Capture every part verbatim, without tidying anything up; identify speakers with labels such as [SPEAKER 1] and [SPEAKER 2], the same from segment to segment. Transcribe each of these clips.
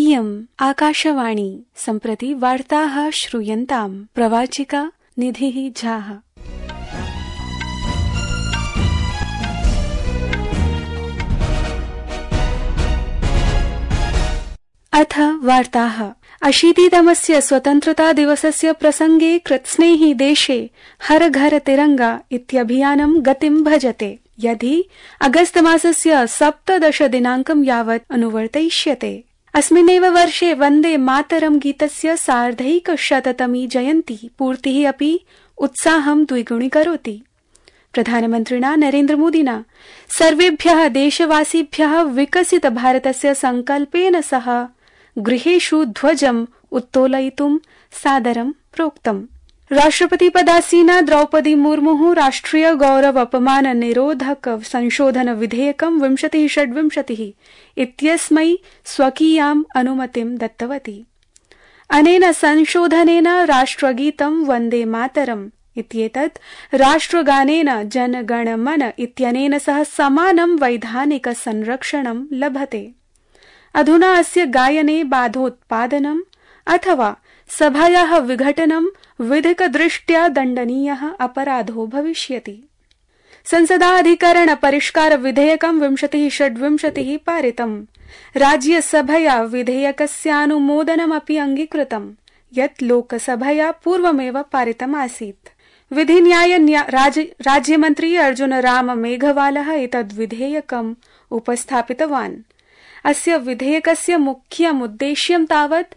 [SPEAKER 1] इयम् आकाशवाणी सम्प्रति वार्ताः श्रूयन्ताम्। प्रवाचिका निधिः झाः। अथ वार्ताः। अशीतितमस्य स्वतन्त्रता दिवसस्य प्रसंगे कृत्स्नेहि देशे हर घर तिरंगा इत्यभियानं गतिं भजते, यदि अगस्त मासस्य सप्तदश दिनाङ्कं यावत् अनुवर्तयिष्यते। अस्मिन्नेव वर्षे वन्दे मातरं गीतस्य सार्धैकशततमी जयन्ती पूर्तिः अपि उत्साहं द्विगुणीकरोति। प्रधानमन्त्रिणा नरेन्द्रमोदिना सर्वेभ्यः देशवासिभ्यः विकसित भारतस्य संकल्पेन सह गृहेषु ध्वजम् उत्तोलयितुं सादरं प्रोक्तम्। राष्ट्रपतिपदासीना द्रौपदी मुर्मुः राष्ट्रिय गौरव अपमान निरोधक संशोधन विधेयकं विंशतिः षड्विंशतिः इत्यस्मै स्वकीयाम् अनुमतिं दत्तवती। अनेन संशोधनेन राष्ट्रगीतं वन्दे मातरम् इत्येतत् राष्ट्रगानेन जनगणमन इत्यनेन सह समानं वैधानिक संरक्षणं लभते। अधुना अस्य गायने बाधोत्पादनम् अथवा सभायाः विघटनं विधिकदृष्ट्या दण्डनीयः अपराधो भविष्यति। संसदाधिकरण परिष्कार विधेयकं विंशतिः षड्विंशतिः पारितम्। राज्यसभया विधेयकस्यानुमोदनमपि अङ्गीकृतम्, यत् लोकसभया पूर्वमेव पारितमासीत्। विधिन्याय राज, राज्यमन्त्री अर्जुन राम मेघवालः एतद् विधेयकम् उपस्थापितवान्। अस्य विधेयकस्य मुख्यमुद्देश्यं तावत्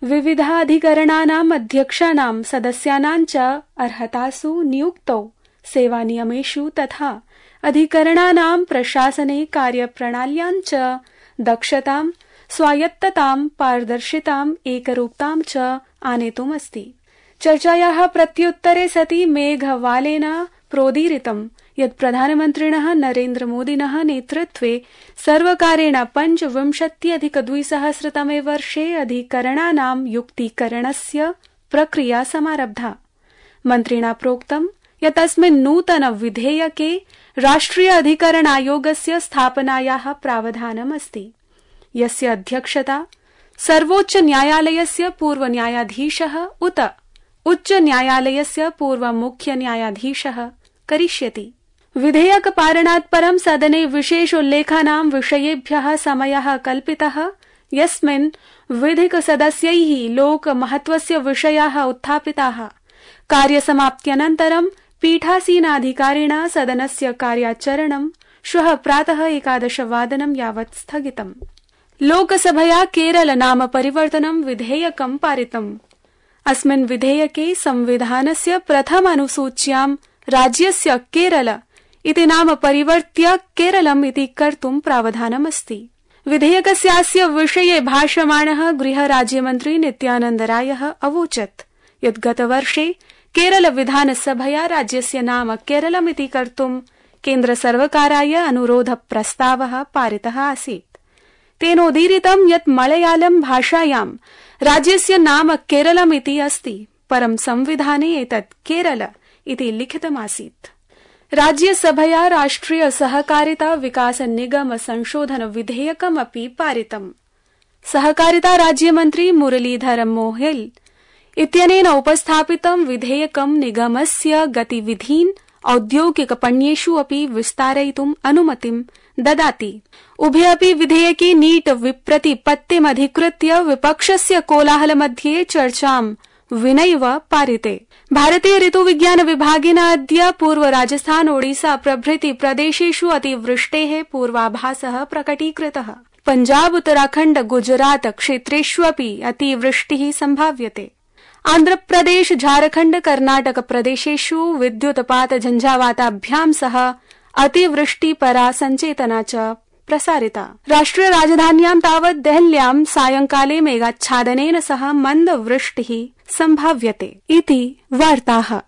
[SPEAKER 1] विविधाधिकरणानाम् अध्यक्षाणां सदस्यानां च अर्हतासु नियुक्तौ सेवानियमेषु तथा अधिकरणानां प्रशासने कार्यप्रणाल्यां च दक्षतां, स्वायत्ततां, पारदर्शिताम्, एकरूपतां च आनेतुमस्ति। चर्चायाः प्रत्युत्तरे सति मेघवालेन प्रोदीरितं यत् प्रधानमन्त्रिणः नरेन्द्रमोदिनः नेतृत्वे सर्वकारेण पञ्चविंशत्यधिकद्विसहस्रतमे वर्षे अधिकरणानां युक्तीकरणस्य प्रक्रिया समारब्धा। मन्त्रिणा प्रोक्तं यत् अस्मिन् नूतन विधेयके राष्ट्रिय अधिकरणायोगस्य स्थापनायाः प्रावधानमस्ति, यस्य अध्यक्षता सर्वोच्च न्यायालयस्य पूर्वन्यायाधीशः उत उच्च न्यायालयस्य पूर्वमुख्यन्यायाधीशः करिष्यति। विधेयक पारणात् परं सदने विशेषोल्लेखानां विषयेभ्यः समयः कल्पितः, यस्मिन् विधिक सदस्यैः लोकमहत्वस्य विषयाः उत्थापिताः। कार्यसमाप्त्यनन्तरं पीठासीनाधिकारिणा सदनस्य कार्याचरणं श्वः प्रातः एकादशवादनं यावत् स्थगितम्। लोकसभया केरल नाम परिवर्तनं विधेयकं पारितम्। अस्मिन् विधेयके संविधानस्य प्रथम अनुसूच्यां राज्यस्य केरल इति नाम परिवर्त्य केरलम् इति कर्तुं प्रावधानमस्ति। विधेयकस्यास्य विषये भाषमाणः गृहराज्यमन्त्री नित्यानन्द रायः अवोचत् यत् गतवर्षे केरल विधानसभया राज्यस्य नाम केरलमिति कर्तुं केन्द्रसर्वकाराय अनुरोध प्रस्तावः पारितः आसीत्। तेनोदीरितं यत् मलयालम भाषायां राज्यस्य नाम केरलमिति अस्ति, परं संविधाने एतत् केरल इति लिखितमासीत्। राज्यसभया राष्ट्रिय सहकारिता विकास निगम संशोधन विधेयकमपि पारितम्। सहकारिता राज्यमन्त्री मुरलीधर मोहेल इत्यनेन उपस्थापितं विधेयकं निगमस्य गतिविधीन् औद्योगिकपण्येषु अपि विस्तारयितुम् अनुमतिं ददाति। उभे अपि विधेयके नीट विप्रतिपत्तिमधिकृत्य विपक्षस्य कोलाहलमध्ये चर्चां विनैव पारिते। भारतीय ऋतुविज्ञान विभागेन अद्य पूर्व राजस्थान, ओडिसा प्रभृति प्रदेशेषु अतिवृष्टेः पूर्वाभासः प्रकटीकृतः। पञ्जाब, उत्तराखण्ड, गुजरात क्षेत्रेष्वपि अतिवृष्टिः सम्भाव्यते। आन्ध्रप्रदेश, झारखण्ड, कर्नाटक प्रदेशेषु विद्युत्पात झञ्झावाताभ्यां सह अतिवृष्टिपरा सञ्चेतना च प्रसारिता। राष्ट्रिय राजधान्यां तावत् देहल्यां सायंकाले मेघाच्छादनेन सह मन्दवृष्टिः सम्भाव्यते। इति वार्ताः।